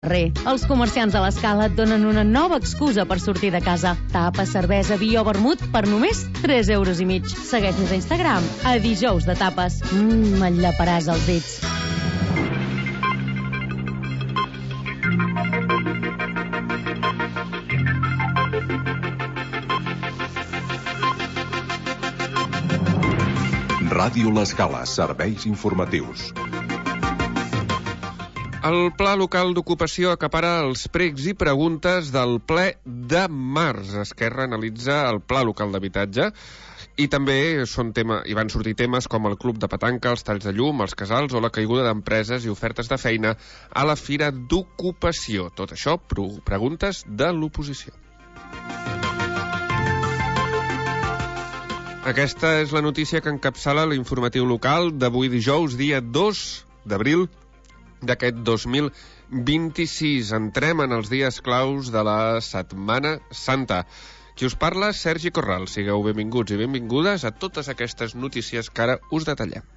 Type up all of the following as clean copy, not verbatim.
Els comerciants de l'Escala et donen una nova excusa per sortir de casa. Tapa, cervesa, vi o vermut per només 3,5 €. Segueix-nos a Instagram, a Dijous de Tapes. Et llaparàs els dits. Ràdio L'Escala, serveis informatius. El Pla Local d'Ocupació acapara els pregs i preguntes del ple de març. Esquerra analitza el Pla Local d'Habitatge i també hi van sortir temes com el club de petanca, els talls de llum, els casals o la caiguda d'empreses i ofertes de feina a la Fira d'Ocupació. Tot això, preguntes de l'oposició. Aquesta és la notícia que encapçala l'informatiu local d'avui dijous, dia 2 d'abril d'aquest 2026. Entrem en els dies claus de la Setmana Santa. Qui us parla, Sergi Corral. Sigueu benvinguts i benvingudes a totes aquestes notícies que ara us detallem.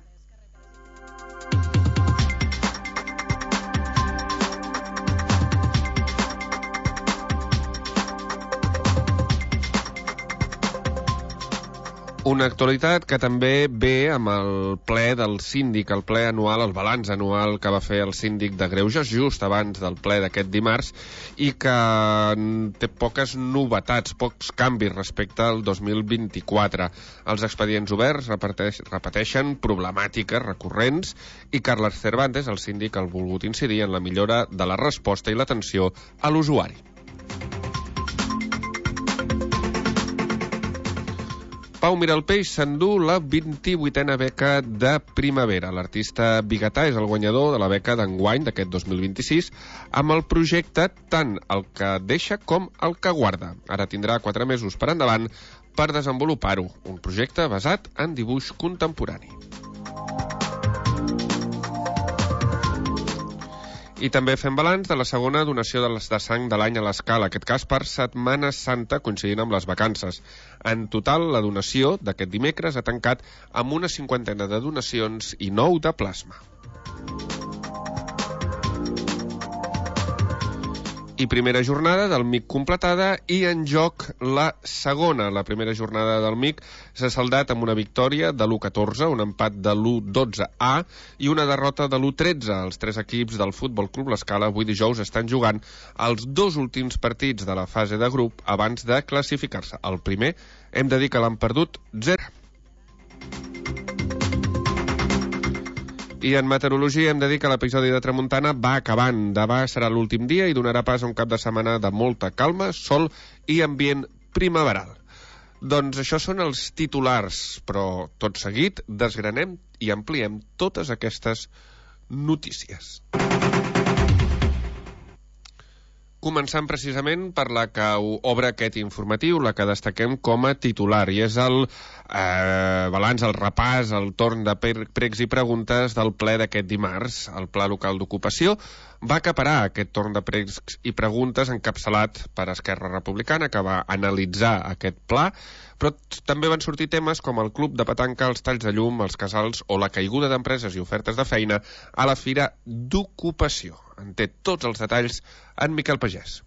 Una actualitat que també ve amb el ple del síndic, el ple anual, el balanç anual que va fer el síndic de Greuges just abans del ple d'aquest dimarts i que té poques novetats, pocs canvis respecte al 2024. Els expedients oberts repeteixen problemàtiques recurrents i Carles Cervantes, el síndic, ha volgut incidir en la millora de la resposta i l'atenció a l'usuari. Pau Miralpeix s'endú la 28a beca de primavera. L'artista biguetà és el guanyador de la beca d'enguany d'aquest 2026 amb el projecte tant el que deixa com el que guarda. Ara tindrà 4 mesos per endavant per desenvolupar-ho. Un projecte basat en dibuix contemporani. I també fem balanç de la segona donació de sang de l'any a l'Escala, aquest cas per Setmana Santa, coincidint amb les vacances. En total, la donació d'aquest dimecres ha tancat amb una 50ena de donacions i 9 de plasma. I primera jornada del MIC completada i en joc la segona. La primera jornada del MIC s'ha saldat amb una victòria de l'1-14, un empat de l'1-12A i una derrota de l'1-13. Els 3 equips del Futbol Club L'Escala avui dijous estan jugant els 2 últims partits de la fase de grup abans de classificar-se. El primer hem de dir que l'han perdut 0. I en meteorologia hem de dir que l'episodi de tramuntana va acabant. Demà serà l'últim dia i donarà pas a un cap de setmana de molta calma, sol i ambient primaveral. Doncs això són els titulars, però tot seguit desgranem i ampliem totes aquestes notícies. Començant precisament per la que obre aquest informatiu, la que destaquem com a titular, i és el balanç, el repàs, el torn de pregs i preguntes del ple d'aquest dimarts. El Pla Local d'Ocupació va acaparar aquest torn de pregs i preguntes encapçalat per Esquerra Republicana, que va analitzar aquest pla, però també van sortir temes com el club de petanca, els talls de llum, els casals o la caiguda d'empreses i ofertes de feina a la Fira d'Ocupació. En té tots els detalls en Miquel Pagès.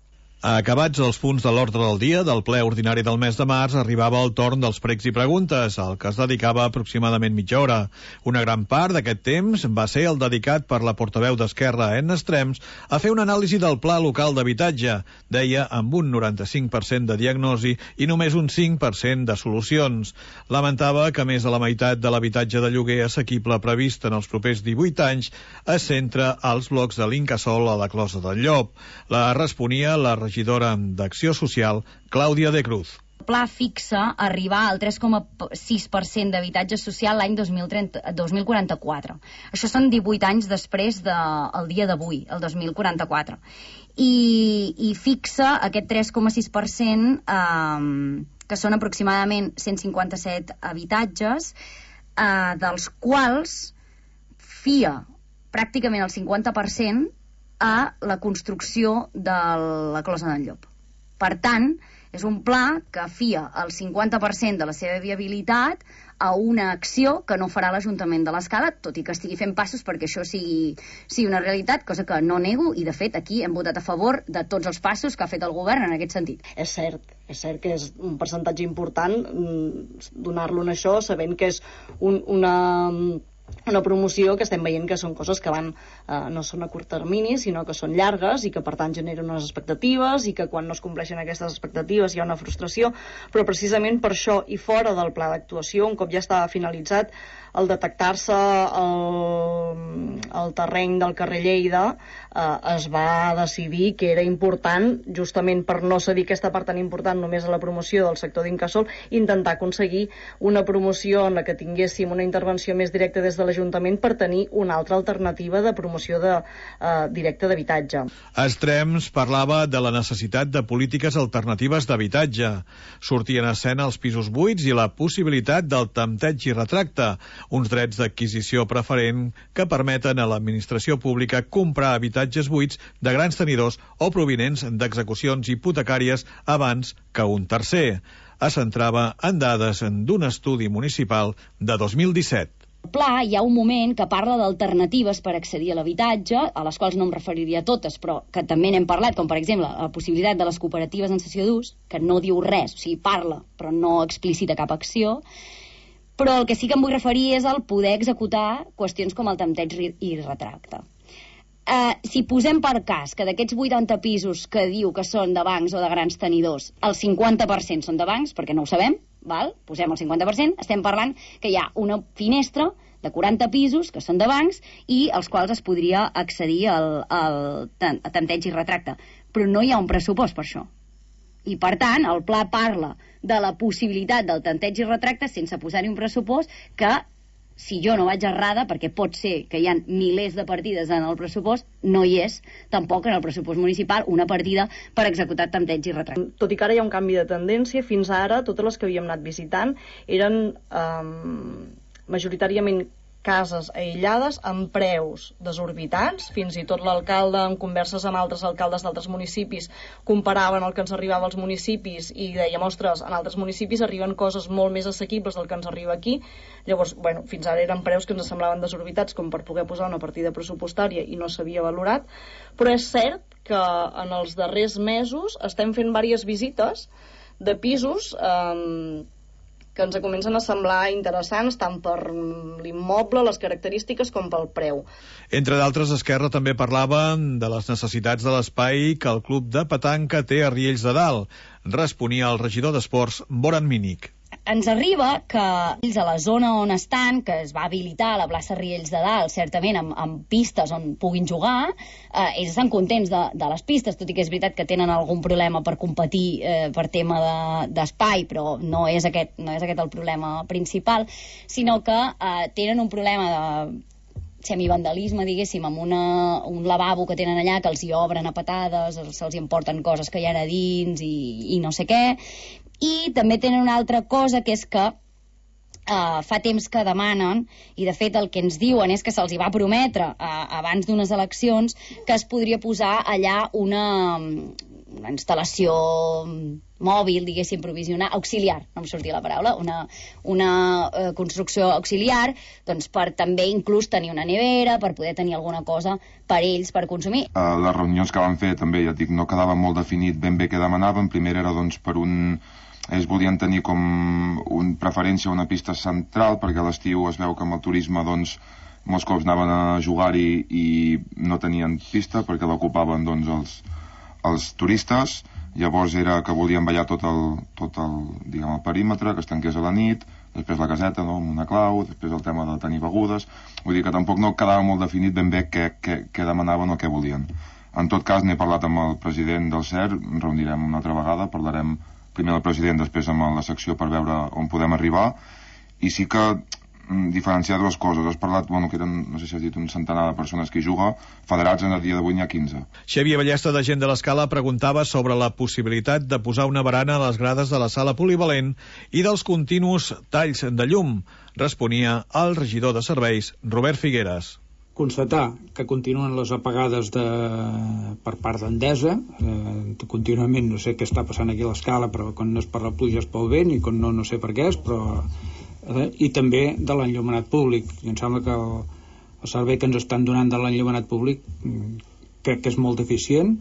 Acabats els punts de l'ordre del dia del ple ordinari del mes de març, arribava el torn dels pregs i preguntes, al que es dedicava aproximadament mitja hora. Una gran part d'aquest temps va ser el dedicat per la portaveu d'Esquerra, Edna Estrems, a fer una anàlisi del Pla Local d'Habitatge. Deia amb un 95% de diagnosi i només un 5% de solucions. Lamentava que més de la meitat de l'habitatge de lloguer assequible previst en els propers 18 anys es centra als blocs de l'Incasòl a la Closa del Llop. La responia la regidora d'Acció Social, Clàudia de Cruz. El pla fixa arribar al 3,6% d'habitatge social l'any 2044. Això són 18 anys després del dia d'avui, el 2044. I fixa aquest 3,6%, que són aproximadament 157 habitatges, dels quals fia pràcticament el 50% a la construcció de la Closa d'en Llop. Per tant, és un pla que fia el 50% de la seva viabilitat a una acció que no farà l'Ajuntament de l'Escala, tot i que estigui fent passos perquè això sigui una realitat, cosa que no nego, i de fet aquí hem votat a favor de tots els passos que ha fet el govern en aquest sentit. És cert que és un percentatge important donar-lo en això, sabent que és una promoció que estem veient que són coses que van no són a curt termini, sinó que són llargues i que per tant generen unes expectatives i que quan no es compleixen aquestes expectatives hi ha una frustració, però precisament per això i fora del pla d'actuació, un cop ja estava finalitzat, al detectar-se el terreny del carrer Lleida es va decidir que era important, justament per no cedir aquesta part tan important només a la promoció del sector d'Incasòl, intentar aconseguir una promoció en la que tinguéssim una intervenció més directa des de l'Ajuntament per tenir una altra alternativa de promoció directa d'habitatge. Estrems parlava de la necessitat de polítiques alternatives d'habitatge. Sortien a escena els pisos buits i la possibilitat del tempteig i retracte, uns drets d'adquisició preferent que permeten a l'administració pública comprar habitatges buits de grans tenidors o provinents d'execucions hipotecàries abans que un tercer. Es centrava en dades d'un estudi municipal de 2017. Al pla hi ha un moment que parla d'alternatives per accedir a l'habitatge, a les quals no em referiria a totes, però que també n'hem parlat, com per exemple la possibilitat de les cooperatives en cessió d'ús, que no diu res, o sigui, parla, però no explicita cap acció. Però el que sí que em vull referir és al poder executar qüestions com el tempteig i retracte. Si posem per cas que d'aquests 80 pisos que diu que són de bancs o de grans tenidors, el 50% són de bancs, perquè no ho sabem, val? Posem el 50%, estem parlant que hi ha una finestra de 40 pisos que són de bancs i als quals es podria accedir al tempteig i retracte. Però no hi ha un pressupost per això. I, per tant, el pla parla de la possibilitat del tempteig i retracte sense posar-hi un pressupost que, si jo no vaig errada, perquè pot ser que hi ha milers de partides en el pressupost, no hi és tampoc en el pressupost municipal una partida per executar tempteig i retracte. Tot i que ara hi ha un canvi de tendència, fins ara totes les que havíem anat visitant eren majoritàriament cases aïllades amb preus desorbitats. Fins i tot l'alcalde, en converses amb altres alcaldes d'altres municipis, comparaven el que ens arribava als municipis i dèiem, ostres, en altres municipis arriben coses molt més assequibles del que ens arriba aquí. Llavors, fins ara eren preus que ens semblaven desorbitats com per poder posar una partida pressupostària i no s'havia valorat, però és cert que en els darrers mesos estem fent diverses visites de pisos que ens comencen a semblar interessants tant per l'immoble, les característiques, com pel preu. Entre d'altres, Esquerra també parlava de les necessitats de l'espai que el club de petanca té a Riells de Dalt. Responia el regidor d'Esports, Boran Mínic. Ens arriba que ells a la zona on estan, que es va habilitar a la plaça Riells de Dalt, certament amb pistes on puguin jugar, ells estan contents de les pistes, tot i que és veritat que tenen algun problema per competir per tema d'espai, però no és aquest el problema principal, sinó que tenen un problema de semivandalisme, diguéssim, amb un lavabo que tenen allà que els hi obren a patades, se'ls hi emporten coses que hi ha a dins i no sé què. I també tenen una altra cosa, que és que fa temps que demanen, i de fet el que ens diuen és que se'ls hi va prometre abans d'unes eleccions que es podria posar allà una instal·lació mòbil, diguéssim, provisional, auxiliar, no em sortia la paraula, una construcció auxiliar, doncs per també inclús tenir una nevera, per poder tenir alguna cosa per ells, per consumir. Les reunions que van fer també, ja dic, no quedava molt definit ben bé què demanaven. Primer era doncs per ells volien tenir com preferència una pista central, perquè a l'estiu es veu que amb el turisme doncs molts cops anaven a jugar-hi i no tenien pista perquè l'ocupaven doncs els turistes. Llavors era que volien ballar tot el perímetre, que es tanqués a la nit, després la caseta, no?, amb una clau, després el tema de tenir begudes. Vull dir que tampoc no quedava molt definit ben bé què demanaven o què volien. En tot cas, n'he parlat amb el president del CER, ens reunirem una altra vegada, parlarem primer amb el president, després amb la secció per veure on podem arribar, i sí que diferenciar dues coses. Has parlat, que eren, no sé si has dit, un centenar de persones que hi juga, federats en el dia d'avui n'hi ha 15. Xavier Ballesta, de Gent de l'Escala, preguntava sobre la possibilitat de posar una barana a les grades de la sala polivalent i dels continus talls de llum. Responia el regidor de serveis, Robert Figueres. constatar que continuen les apagades per part d'Endesa, contínuament. No sé què està passant aquí a l'Escala, però quan no és per la pluja és pel vent, i quan no sé per què és, però... I també de l'enllumenat públic. I em sembla que el servei que ens estan donant de l'enllumenat públic crec que és molt deficient.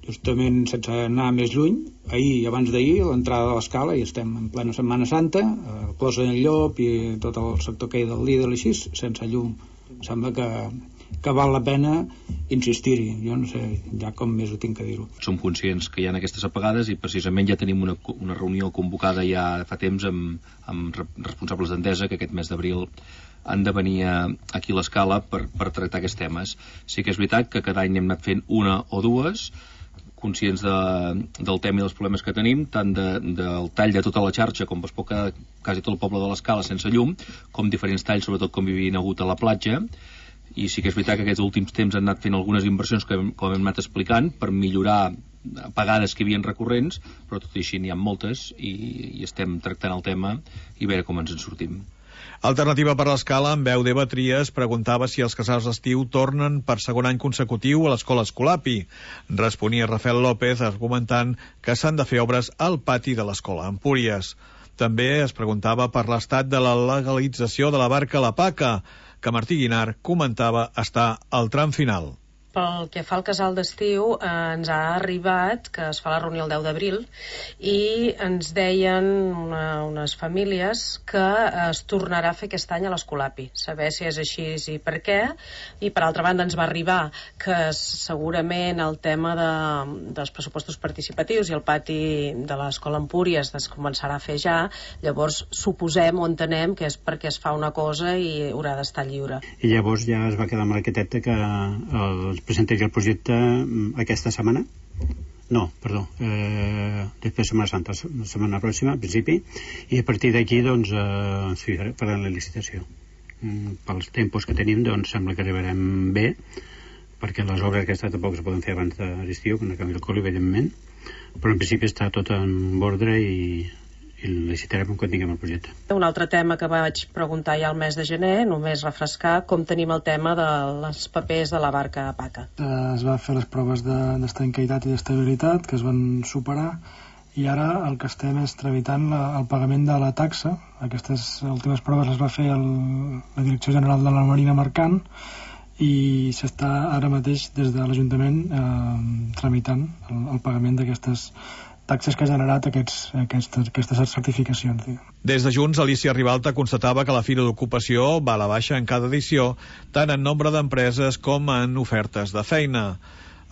Justament, sense anar més lluny, ahir i abans d'ahir, a l'entrada de l'Escala, i estem en plena Setmana Santa, el Clos d'en Llop i tot el sector que hi del Lidl i així, sense llum. Em sembla que val la pena insistir-hi. Jo no sé ja com més ho tinc que dir-ho. Som conscients que hi ha aquestes apagades i precisament ja tenim una reunió convocada ja fa temps amb responsables d'Endesa, que aquest mes d'abril han de venir aquí a l'Escala per tractar aquests temes. Sí que és veritat que cada any hem anat fent una o dues, conscients del tema i dels problemes que tenim, tant del tall de tota la xarxa, com es pot quedar quasi tot el poble de l'Escala sense llum, com diferents talls, sobretot com hi havia hagut a la platja. I sí que és veritat que aquests últims temps han anat fent algunes inversions que com hem anat explicant per millorar apagades que hi havia recurrents, però tot i així n'hi ha moltes i estem tractant el tema i veure com ens en sortim. Alternativa per l'Escala, amb veu d'Eva Trias, preguntava si els casals d'estiu tornen per segon any consecutiu a l'escola Escolapi. Responia Rafael López argumentant que s'han de fer obres al pati de l'escola Empúries. També es preguntava per l'estat de la legalització de la barca a la Paca, que Martí Guinart comentava estar al tram final. Pel que fa al casal d'estiu, ens ha arribat que es fa la reunió el 10 d'abril i ens deien unes famílies que es tornarà a fer aquest any a l'Escolapi. Saber si és així i per què. I per altra banda ens va arribar que segurament el tema dels pressupostos participatius i el pati de l'escola Empúries es començarà a fer ja. Llavors suposem o entenem que és perquè es fa una cosa i haurà d'estar lliure. I llavors ja es va quedar amb l'arquitecte que presentaria el projecte aquesta setmana? No, perdó, després de Setmana Santa, la setmana pròxima, al principi, i a partir d'aquí, doncs, farem la licitació. Pels tempos que tenim, doncs, sembla que arribarem bé, perquè les obres aquestes tampoc es poden fer abans de l'estiu, que no canvi el col, evidentment, però en principi està tot en ordre i licitarem quan tinguem el projecte. Un altre tema que vaig preguntar ja al mes de gener, només refrescar com tenim el tema de les papers de la barca a Paca. Es va fer les proves d'estanquitat i d'estabilitat, que es van superar, i ara el que estem és tramitant el pagament de la taxa. Aquestes últimes proves les va fer la Direcció General de la Marina Mercant i s'està ara mateix des de l'Ajuntament tramitant el pagament d'aquestes taxes que ha generat aquestes certificacions. Des de Junts, Alicia Ribalta constatava que la Fira d'Ocupació va a la baixa en cada edició, tant en nombre d'empreses com en ofertes de feina.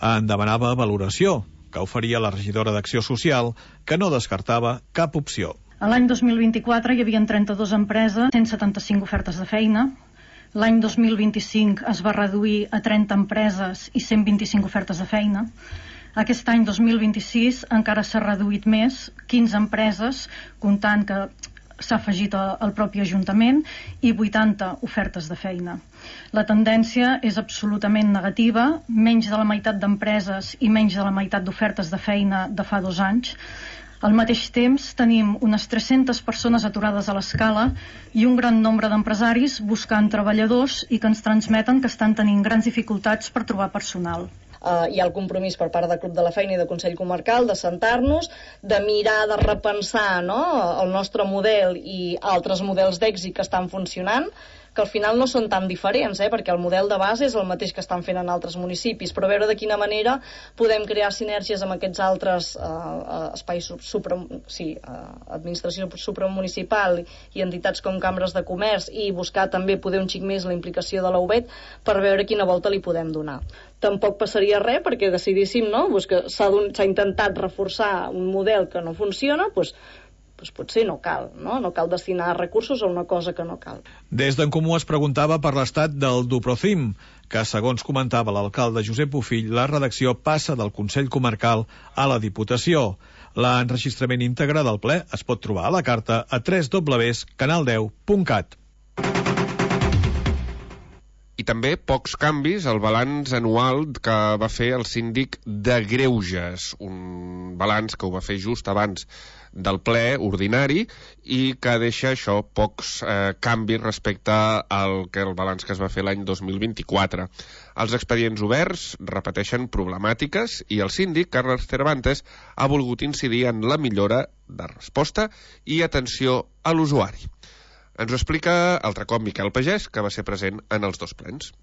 En demanava valoració, que oferia la regidora d'Acció Social, que no descartava cap opció. L'any 2024 hi havia 32 empreses, 175 ofertes de feina. L'any 2025 es va reduir a 30 empreses i 125 ofertes de feina. Aquest any 2026 encara s'ha reduït més, 15 empreses, comptant que s'ha afegit el propi Ajuntament, i 80 ofertes de feina. La tendència és absolutament negativa, menys de la meitat d'empreses i menys de la meitat d'ofertes de feina de fa 2 anys. Al mateix temps tenim unes 300 persones aturades a l'Escala i un gran nombre d'empresaris buscant treballadors i que ens transmeten que estan tenint grans dificultats per trobar personal. Hi ha el compromís per part del Club de la Feina i del Consell Comarcal de sentar-nos, de mirar, de repensar, no?, el nostre model i altres models d'èxit que estan funcionant, que al final no són tan diferents, perquè el model de base és el mateix que estan fent en altres municipis, però veure de quina manera podem crear sinergies amb aquests altres espais, administració supramunicipal i entitats com cambres de comerç, i buscar també poder un xic més la implicació de la UBET per veure quina volta li podem donar. Tampoc passaria res perquè decidíssim, no?, que s'ha intentat reforçar un model que no funciona, doncs potser no cal, no cal destinar recursos a una cosa que no cal. Des d'en Comú es preguntava per l'estat del Duprocim, que, segons comentava l'alcalde Josep Bofill, la redacció passa del Consell Comarcal a la Diputació. L'enregistrament íntegre del ple es pot trobar a la carta a www.canal10.cat. I també pocs canvis al balanç anual que va fer el síndic de Greuges, un balanç que ho va fer just abans del ple ordinari i que deixa això pocs canvis respecte al balanç que es va fer l'any 2024. Els expedients oberts repeteixen problemàtiques i el síndic, Carles Cervantes, ha volgut incidir en la millora de resposta i atenció a l'usuari. Ens ho explica altre cop Miquel Pagès, que va ser present en els dos plens.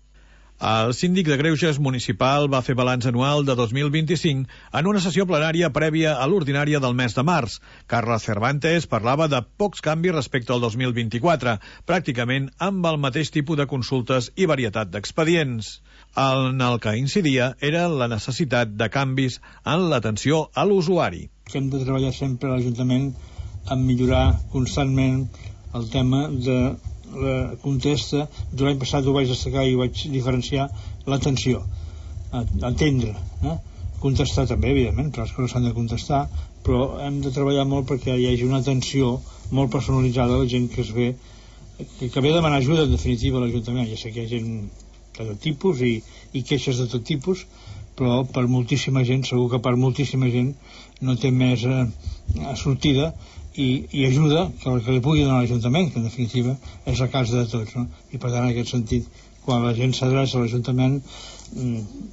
El síndic de Greuges municipal va fer balanç anual de 2025 en una sessió plenària prèvia a l'ordinària del mes de març. Carles Cervantes parlava de pocs canvis respecte al 2024, pràcticament amb el mateix tipus de consultes i varietat d'expedients. En el que incidia era la necessitat de canvis en l'atenció a l'usuari. Hem de treballar sempre a l'Ajuntament en millorar constantment el tema de la contesta. L'any passat ho vaig destacar i ho vaig diferenciar, l'atenció, entendre, contestar també, evidentment, les coses s'han de contestar, però hem de treballar molt perquè hi hagi una atenció molt personalitzada a la gent que es ve, que ve a demanar ajuda en definitiva a l'Ajuntament. Ja sé que hi ha gent de tot tipus i queixes de tot tipus, però per moltíssima gent, segur que per moltíssima gent no té més sortida i ajuda que li pugui donar l'Ajuntament, que en definitiva és la casa de tots, no? I per tant, en aquest sentit, quan la gent s'adreça a l'Ajuntament,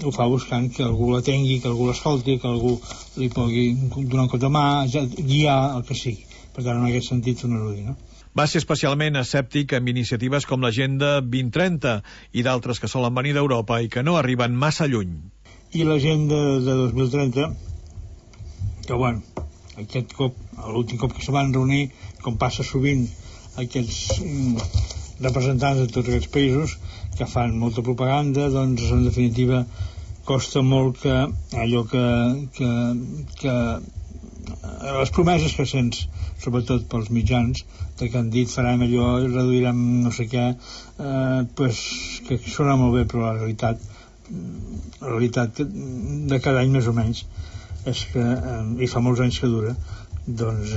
ho fa buscant que algú l'atengui, que algú l'escolti, que algú li pugui donar un cop de mà, guiar el que sigui. Per tant, en aquest sentit, un erudi, no? Va ser especialment escèptic amb iniciatives com l'Agenda 2030 i d'altres que solen venir d'Europa i que no arriben massa lluny. I l'Agenda de 2030, que bueno, aquest cop, l'últim cop que se van reunir, com passa sovint, aquests representants de tots aquests països que fan molta propaganda, doncs en definitiva costa molt que allò que les promeses que sents, sobretot pels mitjans, que han dit farem allò, reduirem no sé què, pues, que sona molt bé, però la realitat de cada any més o menys és que, i fa molts anys que dura, doncs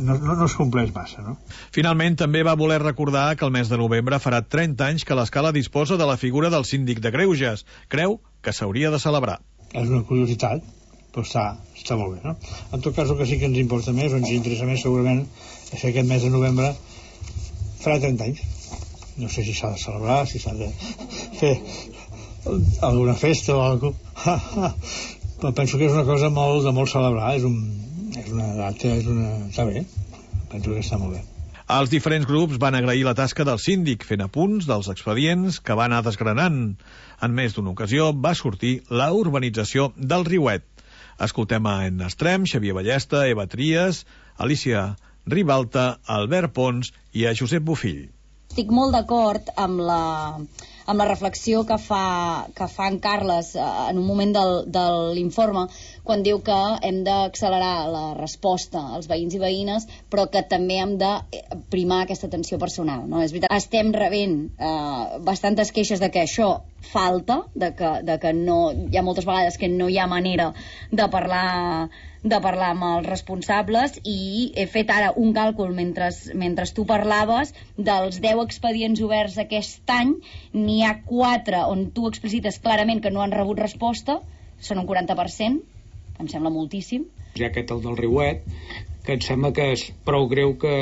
no es compleix massa, no? Finalment, també va voler recordar que el mes de novembre farà 30 anys que l'Escala disposa de la figura del síndic de Greuges. Creu que s'hauria de celebrar. És una curiositat, però està molt bé, no? En tot cas, el que sí que ens importa més, o ens interessa més segurament, és que aquest mes de novembre farà 30 anys. No sé si s'ha de celebrar, si s'ha de fer alguna festa o alguna cosa. Però penso que és una cosa de molt celebrar, és una data, està bé, penso que està molt bé. Els diferents grups van agrair la tasca del síndic, fent apunts dels expedients que va anar desgranant. En més d'una ocasió va sortir la urbanització del Riuet. Escoltem a En Estrem, Xavier Ballesta, Eva Trias, Alicia Ribalta, Albert Pons i a Josep Bofill. Estic molt d'acord amb la reflexió que fa en Carles en un moment de l'informe, quan diu que hem d'accelerar la resposta als veïns i veïnes, però que també hem de primar aquesta atenció personal, no? És veritat, estem rebent bastantes queixes de que això falta, de que no, hi ha moltes vegades que no hi ha manera de parlar amb els responsables, i he fet ara un càlcul mentre tu parlaves. Dels 10 expedients oberts aquest any n'hi ha 4 on tu explicites clarament que no han rebut resposta, són un 40%, em sembla moltíssim. Hi ha aquest, el del Riuet, que em sembla que és prou greu, que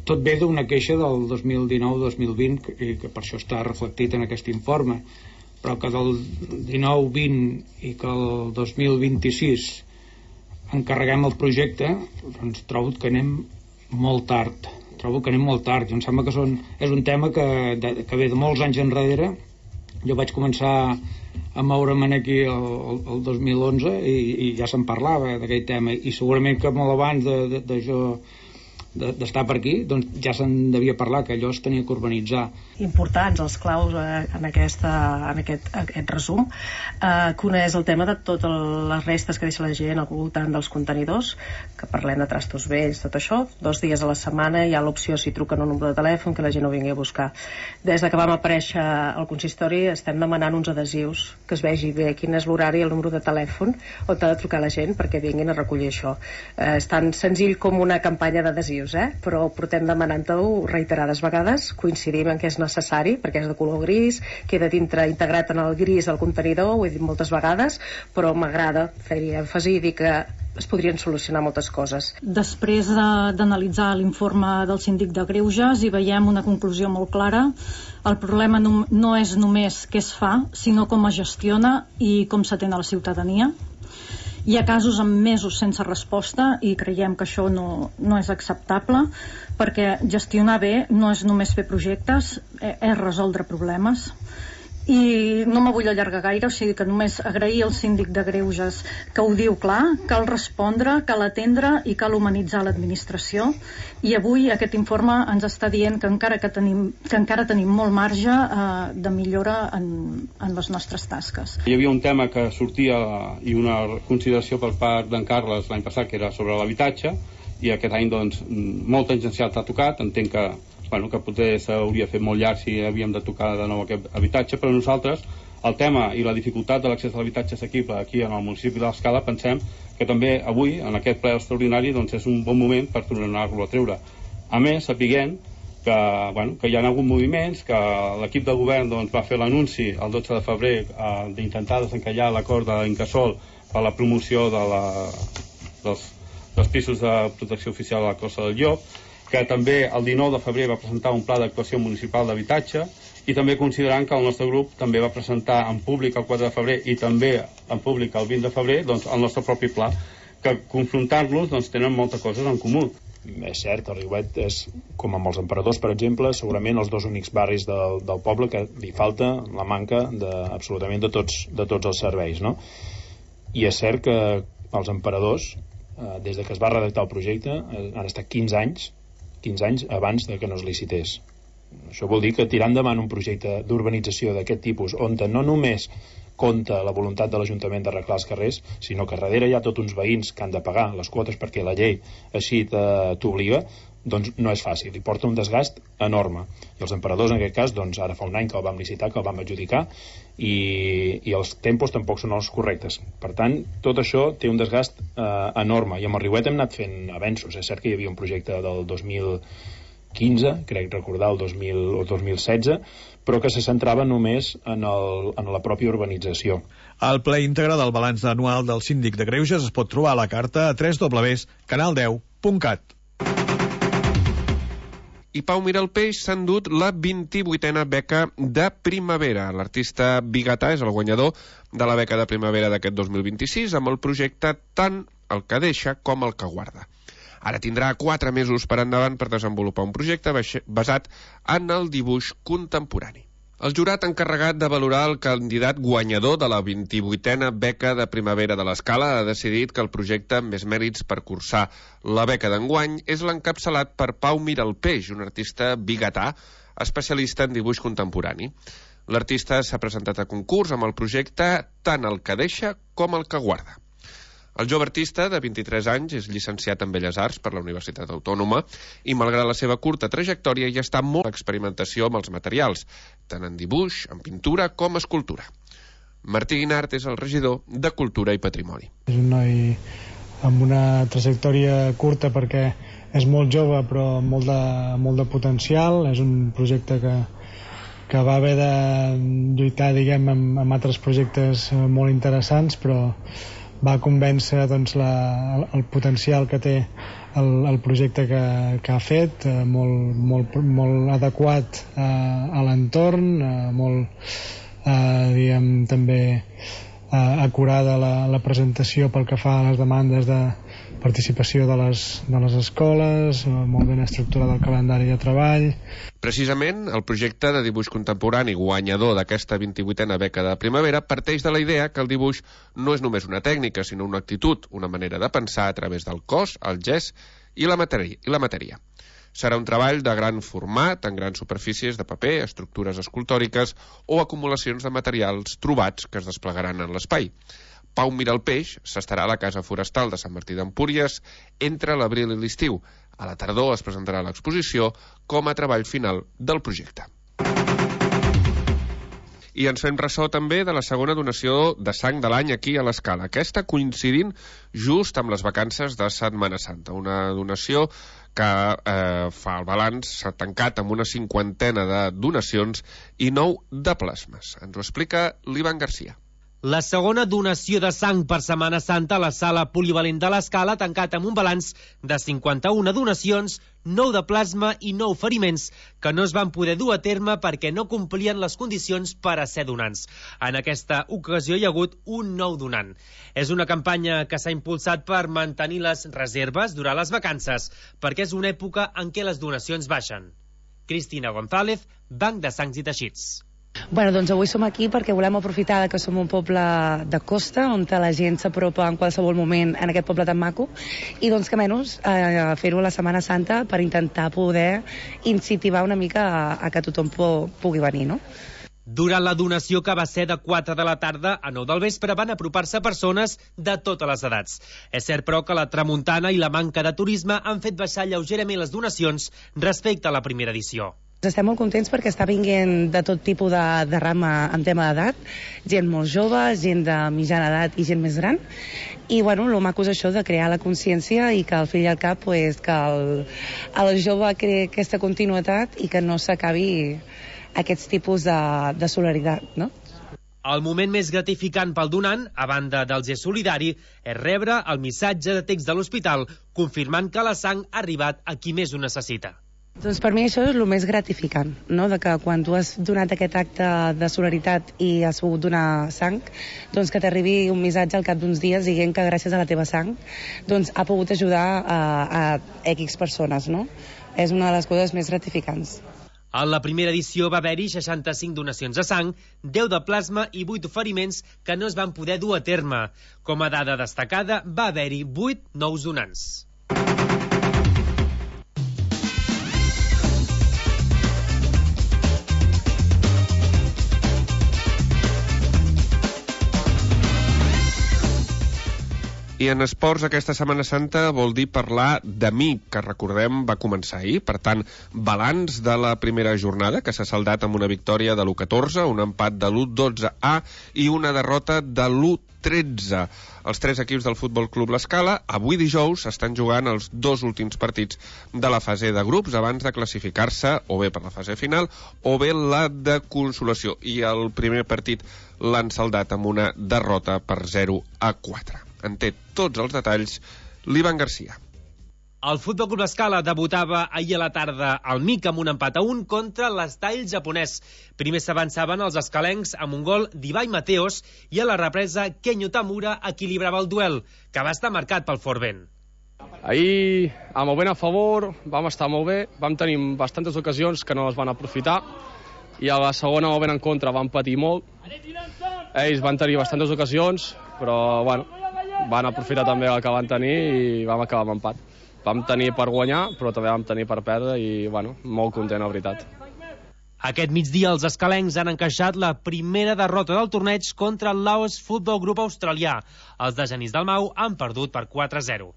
tot ve d'una queixa del 2019-2020 i que per això està reflectit en aquest informe, però que del 19-20 i que el 2026 encarreguem el projecte, doncs trobo que anem molt tard. Jo em sembla que és un tema que ve de molts anys enrere. Jo vaig començar a moure'm aquí el 2011 i ja se'n parlava d'aquell tema, i segurament que molt abans de jo d'estar per aquí, doncs ja se'n devia parlar, que allò es tenia que urbanitzar. Importants els claus en aquest resum, que una és el tema de totes les restes que deixa la gent al voltant dels contenidors, que parlem de trastos vells, tot això. 2 dies a la setmana hi ha l'opció, si truquen un número de telèfon, que la gent ho vingui a buscar. Des que vam aparèixer al consistori estem demanant uns adhesius, que es vegi bé quin és l'horari i el número de telèfon on ha de trucar la gent perquè vinguin a recollir això. És tan senzill com una campanya d'adhesius. dius, però portem demanant-ho reiterades vegades, coincidim en que és necessari, perquè és de color gris, queda dintre integrat en el gris el contenidor, ho he dit moltes vegades, però m'agrada fer-hi èmfasi i dir que es podrien solucionar moltes coses. Després d'analitzar l'informe del síndic de Greuges hi veiem una conclusió molt clara. El problema no és només què es fa, sinó com es gestiona i com s'atén a la ciutadania. Hi ha casos amb mesos sense resposta i creiem que això no és acceptable, perquè gestionar bé no és només fer projectes, és resoldre problemes. I no me vull allargar gaire, o sigui que només agrair al síndic de Greuges que ho diu clar, cal respondre, cal atendre i cal humanitzar l'administració, i avui aquest informe ens està dient que encara tenim molt marge de millora en les nostres tasques. Hi havia un tema que sortia i una consideració per part d'en Carles l'any passat, que era sobre l'habitatge, i aquest any doncs molt tangencial t'ha tocat. Entenc que potser s'hauria fet molt llarg si havíem de tocar de nou aquest habitatge, però nosaltres el tema i la dificultat de l'accés a l'habitatge assequible aquí en el municipi de l'Escala pensem que també avui, en aquest ple extraordinari, doncs és un bon moment per tornar-lo a treure. A més, sapiguem que hi ha hagut moviments, que l'equip de govern va fer l'anunci el 12 de febrer d'intentar desencallar l'acord d'Incasòl per la promoció dels pisos de protecció oficial a la Costa del Llop, que també el 19 de febrer va presentar un pla d'actuació municipal d'habitatge, i també considerant que el nostre grup també va presentar en públic el 4 de febrer i també en públic el 20 de febrer el nostre propi pla, que confrontant-los tenen moltes coses en comú. És cert, el Riuet és, com amb els Emperadors, per exemple, segurament els dos únics barris del poble que li falta la manca absolutament de tots els serveis, no? I és cert que els Emperadors, des de que es va redactar el projecte, han estat 15 anys abans de que no es licités. Això vol dir que tirar endavant un projecte d'urbanització d'aquest tipus, on no només compta la voluntat de l'Ajuntament d'arreglar els carrers, sinó que darrere hi ha tots uns veïns que han de pagar les quotes perquè la llei així t'obliga, doncs no és fàcil, i porta un desgast enorme. I els Emperadors, en aquest cas, ara fa un any que el vam licitar, que el vam adjudicar, i els tempos tampoc són els correctes. Per tant, tot això té un desgast enorme, i amb el Riuet hem anat fent avenços. És cert que hi havia un projecte del 2015, crec recordar, el 2016, però que se centrava només en la pròpia urbanització. El ple íntegre del balanç anual del síndic de Greuges es pot trobar a la carta a www.canal10.cat. I Pau Miralpeix s'ha endut la 28a beca de primavera. L'artista biguetà és el guanyador de la beca de primavera d'aquest 2026 amb el projecte Tant el que deixa com el que guarda. Ara tindrà 4 mesos per endavant per desenvolupar un projecte basat en el dibuix contemporani. El jurat encarregat de valorar el candidat guanyador de la 28a beca de primavera de l'Escala ha decidit que el projecte amb més mèrits per cursar la beca d'enguany és l'encapçalat per Pau Miralpeix, un artista biguetà especialista en dibuix contemporani. L'artista s'ha presentat a concurs amb el projecte Tant el que deixa com el que guarda. El jove artista, de 23 anys, és llicenciat en Belles Arts per la Universitat Autònoma i, malgrat la seva curta trajectòria, ja està molt en experimentació amb els materials, tant en dibuix, en pintura com escultura. Martí Guinart és el regidor de Cultura i Patrimoni. És un noi amb una trajectòria curta perquè és molt jove però molt de potencial. És un projecte que va haver de lluitar, diguem, amb altres projectes molt interessants, però va convèncer el potencial que té el projecte que ha fet, molt adequat a l'entorn, molt diguem també acurada la presentació pel que fa a les demandes de participació de les escoles, molt ben estructurat el calendari de treball. Precisament, el projecte de dibuix contemporani guanyador d'aquesta 28a beca de primavera parteix de la idea que el dibuix no és només una tècnica, sinó una actitud, una manera de pensar a través del cos, el gest i la matèria. Serà un treball de gran format, en grans superfícies de paper, estructures escultòriques o acumulacions de materials trobats que es desplegaran en l'espai. Pau Miralpeix s'estarà a la Casa Forestal de Sant Martí d'Empúries entre l'abril i l'estiu. A la tardor es presentarà l'exposició com a treball final del projecte. I ens fem ressò també de la segona donació de sang de l'any aquí a l'Escala. Aquesta coincidint just amb les vacances de Setmana Santa. Una donació que fa el balanç, s'ha tancat amb una 50 de donacions i 9 de plasmes. Ens ho explica l'Ivan Garcia. La segona donació de sang per Setmana Santa a la sala polivalent de l'Escala ha tancat amb un balanç de 51 donacions, 9 de plasma i 9 feriments que no es van poder dur a terme perquè no complien les condicions per a ser donants. En aquesta ocasió hi ha hagut un nou donant. És una campanya que s'ha impulsat per mantenir les reserves durant les vacances, perquè és una època en què les donacions baixen. Cristina González, Banc de Sangs i Teixits. Bueno, doncs avui som aquí perquè volem aprofitar que som un poble de costa on la gent s'apropa en qualsevol moment en aquest poble tan maco i doncs que menys fer-ho a la Setmana Santa per intentar poder incentivar una mica a que tothom pugui venir, no? Durant la donació, que va ser de 4 de la tarda a 9 del vespre, van apropar-se persones de totes les edats. És cert, però, que la tramuntana i la manca de turisme han fet baixar lleugerament les donacions respecte a la primera edició. Estem molt contents perquè està vinguent de tot tipus de rama en tema d'edat, gent molt jove, gent de mitjana edat i gent més gran, i bueno, el maco és això de crear la consciència i que al fill i al cap pues, que el jove creï aquesta continuïtat i que no s'acabi aquests tipus de solidaritat, no? El moment més gratificant pel donant, a banda del gest solidari, és rebre el missatge de text de l'hospital confirmant que la sang ha arribat a qui més ho necessita. Doncs per mi això és el més gratificant, no? De que quan tu has donat aquest acte de solidaritat i has pogut donar sang, doncs que t'arribi un missatge al cap d'uns dies dient que gràcies a la teva sang doncs ha pogut ajudar a X persones, no? És una de les coses més gratificants. En la primera edició va haver-hi 65 donacions de sang, 10 de plasma i 8 oferiments que no es van poder dur a terme. Com a dada destacada, va haver-hi 8 nous donants. I en esports, aquesta Setmana Santa vol dir parlar de mi, que recordem va començar ahir. Per tant, balanç de la primera jornada, que s'ha saldat amb una victòria de l'1-14, un empat de l'1-12A i una derrota de l'1-13. Els 3 equips del Futbol Club L'Escala, avui dijous, estan jugant els 2 últims partits de la fase de grups abans de classificar-se o bé per la fase final o bé la de consolació. I el primer partit l'han saldat amb una derrota per 0-4. En té tots els detalls l'Ivan Garcia. El Futbol Club L'Escala debutava ahir a la tarda al MIC amb un empat a 1 contra l'Estall japonès. Primer s'avançaven els escalencs amb un gol d'Ibai Mateos i a la represa Kenyo Tamura equilibrava el duel, que va estar marcat pel fort vent. Ahir, amb el vent a favor, vam estar molt bé, vam tenir bastantes ocasions que no les van aprofitar i a la segona, amb el vent en contra, vam patir molt. Ells van tenir bastantes ocasions, però bueno, van aprofitar també el que van tenir i vam acabar amb empat. Vam tenir per guanyar, però també vam tenir per perdre i, bueno, molt content, la veritat. Aquest migdia els escalencs han encaixat la primera derrota del torneig contra el Laos Futbol Grup australià. Els de Genís Dalmau han perdut per 4-0.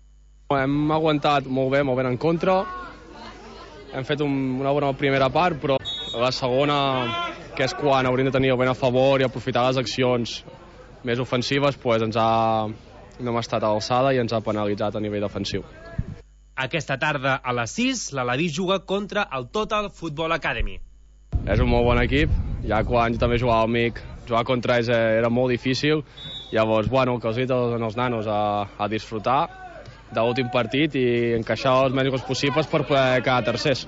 Hem aguantat molt bé en contra. Hem fet una bona primera part, però la segona, que és quan hauríem de tenir el vent a favor i aprofitar les accions més ofensives, doncs no hem estat a l'alçada i ens ha penalitzat a nivell defensiu. Aquesta tarda a les 6, l'Alaví juga contra el Total Football Academy. És un molt bon equip, ja quan jo també jugava al MIC, jugar contra ells era molt difícil, llavors, bueno, que els dic als nanos a disfrutar de l'últim partit i encaixar els més gols possibles per poder quedar tercers.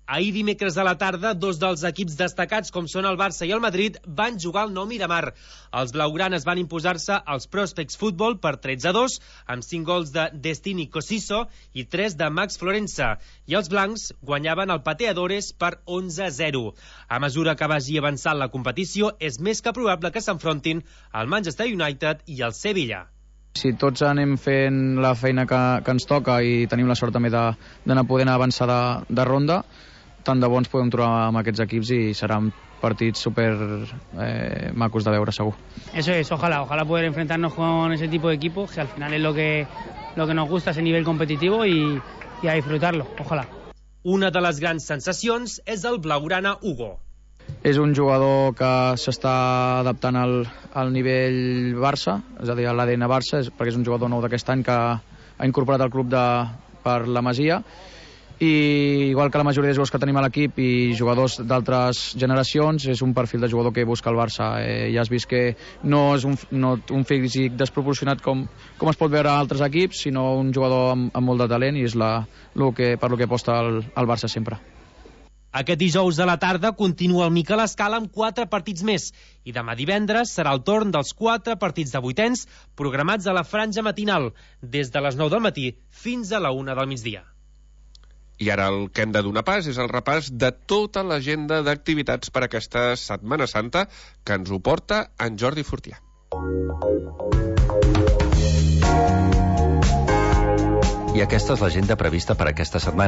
Ahir dimecres a la tarda, 2 dels equips destacats, com són el Barça i el Madrid, van jugar al Nou Miramar. Els blaugranes van imposar-se als Prospects Futbol per 13-2, amb 5 gols de Destini Cosiso i 3 de Max Florenza. I els blancs guanyaven el Pateadores per 11-0. A mesura que vagi avançant la competició, és més que probable que s'enfrontin el Manchester United i el Sevilla. Si tots anem fent la feina que ens toca i tenim la sort també d'anar podent avançar de ronda, tant de bons podem trobar amb aquests equips i seran partits super macos de veure, segur. Eso es, ojalá poder enfrentarnos con ese tipo de equipos, que al final es lo que nos gusta, ese nivel competitivo y a disfrutarlo, ojalá. Una de les grans sensacions és el blaugrana Hugo. És un jugador que s'està adaptant al nivell Barça, és a dir, a l'ADN Barça, perquè és un jugador nou d'aquest any que ha incorporat al club per la Masia, i igual que la majoria de jugadors que tenim a l'equip i jugadors d'altres generacions, és un perfil de jugador que busca el Barça. Ja has vist que no és un físic desproporcionat com es pot veure a altres equips, sinó un jugador amb molt de talent, i és per lo que aposta el Barça sempre. Aquest dijous a la tarda continua el Miquel Escala amb 4 partits més, i demà divendres serà el torn dels 4 partits de vuitens programats a la franja matinal, des de les 9 del matí fins a la 1 del migdia. I ara el que hem de donar pas és el repàs de tota l'agenda d'activitats per aquesta Setmana Santa, que ens ho porta en Jordi Fortià. I aquesta és l'agenda prevista per aquesta setmana.